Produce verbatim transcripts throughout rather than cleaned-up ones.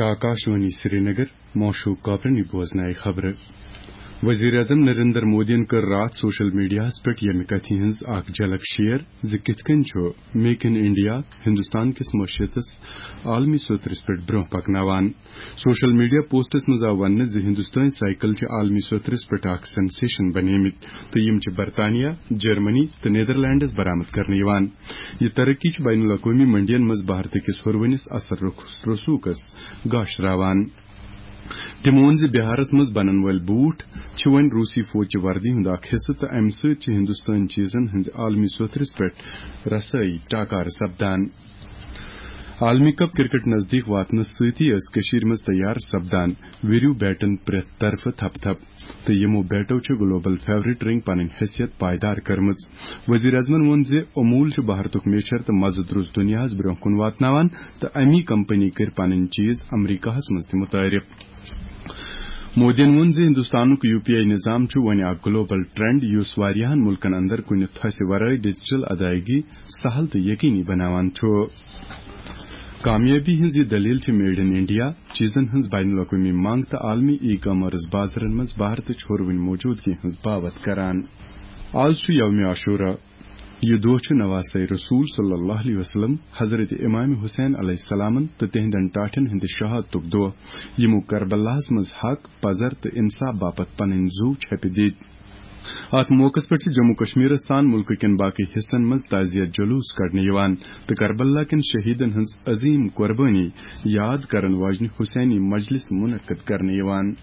آکاشوانی سرینگر، موشو کاپرنی بوزنایہِ خبرٕ۔ وزیر اعظم نریندر مودیَن کٔر راتھ سوشل میڈیاہَس پٮ۪ٹھ ییٚمہِ کتھِ ہٕنٛز اکھ جھلک شیئر زِ کِتھ کٔنۍ چھُ میک ان انڈیا ہندوستان کِس معیشتس عالمی سطرس پٮ۪ٹھ برونٛہہ پکناوان۔ سوشل میڈیا پوسٹس منٛز آو وننہٕ زِ ہندوستٲنۍ سائیکل چھِ عالمی سطرس پٮ۪ٹھ اکھ سینسیشن بنیمٕتۍ تہٕ یِم چھِ برطانیہ، جرمنی تہٕ نیدرلینڈس برآمد کرنہٕ یِوان۔ یہِ ترقی چھِ بین الاقوٲمی منڈین منٛز بھارتہٕ کِس ہُروٕنِس اثر رخ-، رسوخس گاشراوان۔ تِمو ووٚن زِ بہارس منٛز بنن وٲلۍ بوٗٹھ چھِ وۄنۍ روسی فوجچہِ وردی ہُنٛد اکھ حصہٕ تہٕ امہِ سۭتۍ چھِ ہندوستٲنۍ چیزن ہٕنٛزِ عالمی سطرس پٮ۪ٹھ رسٲیی ٹاکارٕ سپدان۔ عالمی کپ کرکٹ نزدیک واتنس سۭتی ٲس کٔشیٖرِ منٛز تیار سپدان ویریو بیٹن پرٛٮ۪تھ طرفہٕ تھپہٕ تھپہٕ تہٕ یِمو بیٹو چھِ گلوبل فیورٹ رنگ پنٕنۍ حیثیت پائیدار کٔرمٕژ۔ وزیر اعظمن ووٚن زِ امول چھُ بھارتُک میچھر تہٕ مزٕ درُس دُنیاہس برونٛہہ کُن واتناوان تہٕ امی کمپنی کٔرۍ پنٕنۍ چیز امریکاہس منٛز تہِ متعارف۔ مودیَن ووٚن زِ ہندوستانُک یو پی آئی نظام چھُ وۄنۍ اکھ گلوبل ٹرینڈ، یُس واریاہَن مُلکَن اندر کُنہِ تھۄسہِ ورٲے ڈیجیٹل ادائیگی سہل تہٕ یقینی بناوان چھُ۔ کامیٲبی ہٕنٛز یہِ دٔلیٖل چھِ میڈ ان انڈیا چیزن ہٕنٛز بین الاقوٲمی منٛگ تہٕ عالمی ای کامرس بازرَن منٛز بھارتٕچ ہُروٕنۍ موجودگی ہٕنٛز باوتھ کران۔ آز چھُ یوم عاشورہ۔ یہِ دۄہ چھُ نواسے رسول صلی اللہ علیہ وسلم، حضرت امام حسین علیہ السلامن تہٕ تِہنٛدٮ۪ن ٹاٹھٮ۪ن ہٕنٛدِ شہادتُک دۄہ، یِمو کربلاہس منٛز حق، پزر تہٕ انصاف باپتھ پنٕنۍ زُو چھپہِ دِتۍ۔ اتھ موقعس پٮ۪ٹھ چھِ جموں کشمیرس سان مُلکہٕ کٮ۪ن باقٕے حصن منٛز تعزیت جلوس کڑنہٕ یِوان تہٕ کربلا کٮ۪ن شہیدن ہٕنٛز عظیم قربٲنی یاد کرن واجنہِ حسینی مجلس منعقد کرنہٕ یِوان۔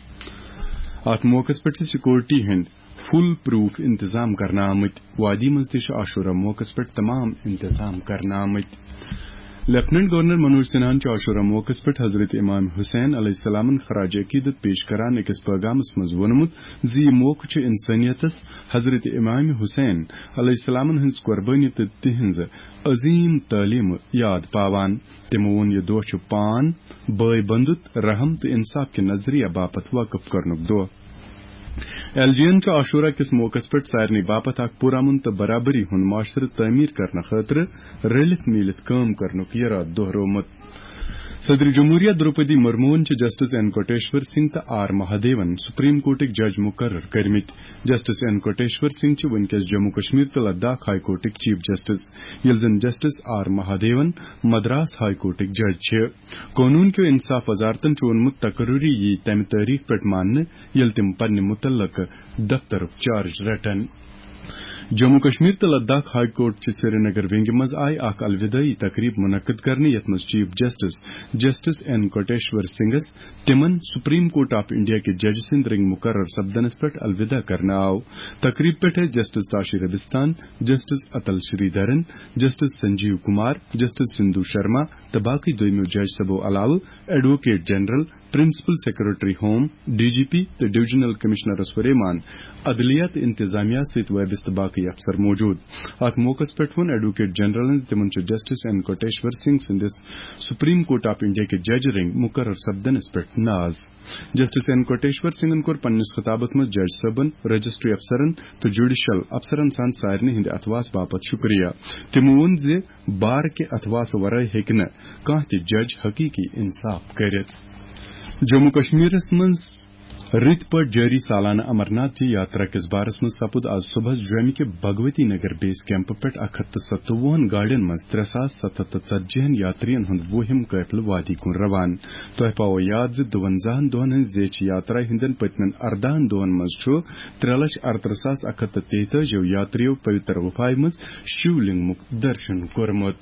اتھ موقعس پٮ۪ٹھ چھِ سیکورٹی ہٕنٛدۍ فول پروف انتظام کرنہٕ آمٕتۍ۔ وادی منٛز تہِ چھِ عاشورہ موقعس پٮ۪ٹھ تمام انتظام کرنہٕ آمٕتۍ۔ لیفٹیننٹ گورنر منوج سنہاہن چھُ عاشورہ موقعس پٮ۪ٹھ حضرت امام حسین علیہ السلامن خراج عقیدت پیش کران أکِس پیغامس منٛز ووٚنمُت زِ یہِ موقعہٕ چھُ انسٲنیتس حضرت امام حسین علیہ السلامن ہٕنٛز قربٲنی تہٕ تِہنٛز عظیم تعلیمہٕ یاد پاوان۔ تِمو ووٚن، یہِ دۄہ چھُ پان، بٲے بندُت، رحم تہٕ انصاف کہِ نظریہ باپتھ وقف کرنُک دۄہ۔ ایل جی این چھُ عاشورہ کِس موقعس پٮ۪ٹھ سارنٕے باپتھ اکھ پُرامن تہٕ برابری ہُنٛد معاشرٕ تعمیٖر کرنہٕ خٲطرٕ رٔلِتھ میٖلِتھ کٲم کرنُک یرادٕ دۄہرومُت۔ صدر جمہوریہ دروپدی مرموہن چھِ جسٹس این کوٹیشور سنگھ تہٕ آر مہادیون سپریم کورٹٕکۍ جج مقرر کٔرمٕتۍ۔ جسٹس این کوٹیشور سنگھ چھِ وٕنکیٚس جموں کشمیر تہٕ لداخ ہائی کورٹٕکۍ چیف جسٹس، ییٚلہِ زن justice R Mahadevan Madras high کورٹٕکۍ جج چھِ۔ قونوٗن کیو انصاف وزارتن چھُ ووٚنمُت، تقرری یی تمہِ تٲریخ پٮ۪ٹھ ماننہٕ، ییٚلہِ تِم پننہِ متعلقہٕ دفترُک چارج رٹن۔ جموں کشمیر تہٕ لداخ ہائی کورٹ چہِ سرینگر ونگہِ منٛز آیہِ اکھ الودٲعی تقریب منعقد کرنہٕ، یتھ منٛز چیف جسٹس، جسٹس این کوٹیشور سنگھس تِمن سپریم کورٹ آف انڈیا کہِ جج سٕنٛدۍ رنگۍ مقرر سپدنس پٮ۪ٹھ الوداع کرنہٕ آو۔ تقریب پٮ۪ٹھ ٲسۍ justice Tashi Rabstan, justice Atul Sreedharan, justice Sanjeev Kumar, justice Sindhu Sharma تہٕ باقٕے دوٚیمو جج صٲبو علاوٕ advocate general, principal secretary home, D G P تہٕ ڈویژنل کمشنرس ہُریمان عدلیہ تہٕ انتظامیہ سۭتۍ وابستہٕ باقٕے افسر موجود۔ اتھ موقعس پٮ۪ٹھ ووٚن ایڈووکیٹ جنرلن زِ تِمن چھُ جسٹس این کوٹیشور سنگھ سٕنٛدِس سپریم کورٹ آف انڈیا کہِ جج رنگۍ مقرر سپدنس پٮ۪ٹھ ناز۔ جسٹس این کوٹیشور سنگھن کوٚر پننِس خطابس منٛز جج صٲبن، رجسٹری افسرن تہٕ جوڈیشل افسرن سان سارنٕے ہٕنٛدِ اتھواس باپتھ شُکریہ۔ تِمو ووٚن زِ بار کہِ اتھواسہٕ ورٲے ہیٚکہِ نہٕ کانٛہہ تہِ جج حقیقی انصاف کٔرِتھ۔ جموں کشمیرس منٛز رٕتۍ پٲٹھۍ جٲری سالانہٕ امرناتھ جی یاترا کِس بارس منٛز سپُد آز صبحس جوٚمہِ کہِ بھگوتی نگر بیس کیمپہٕ پٮ۪ٹھ اکھ ہتھ تہٕ ستوُہن گاڑٮ۪ن منٛز ترٛےٚ ساس ستھ ہتھ تہٕ ژتجی ہن یاترین ہُنٛد وُہِم قٲفلہٕ وادی کُن روان۔ تۄہہِ پاوو یاد زِ دُوَنزاہن دۄہن ہٕنٛزِ زیچھِ یاترا ہٕنٛدٮ۪ن پٔتمٮ۪ن ارداہن دۄہن منٛز چھُ ترٛےٚ لچھ ارترٕہ ساس اکھ ہتھ تہٕ تیتٲجی یاترِیو پویتر گُفایہِ منٛز شِو لنگمُک درشن کوٚرمُت۔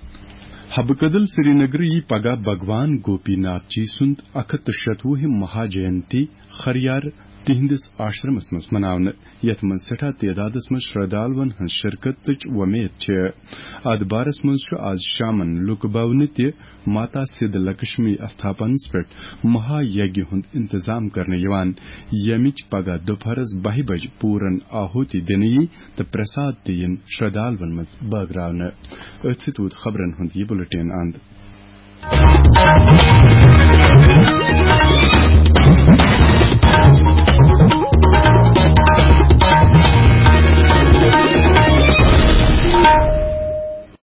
حبہٕ کدل سرینگرٕ یی پگاہ بھگوان گوپی ناتھ جی سُنٛد اکھ ہتھ تہٕ شتوُہِم مہا جینتی خریار تِہنٛدِس آشرمس منٛز مناونہٕ، یتھ منٛز سٮ۪ٹھاہ تعدادس منٛز شردالون ہٕنٛز شرکتٕچ وۄمید چھِ۔ اتھ بارس منٛز چھُ آز شامن لُکہٕ بھونہِ تہِ ماتا سِدھ لکشمی استھاپنس پٮ۪ٹھ مہا یگیہ ہُنٛد انتظام کرنہٕ یِوان، ییٚمِچ پگاہ دُپہرس بَہہِ بجہِ پوٗرن آہوتی دِنہٕ یی تہٕ پرساد تہِ یِن شردالون منٛز بٲگراونہٕ۔ أتھۍ سۭتۍ ووت خبرن ہُنٛد یہِ بُلٹن اند۔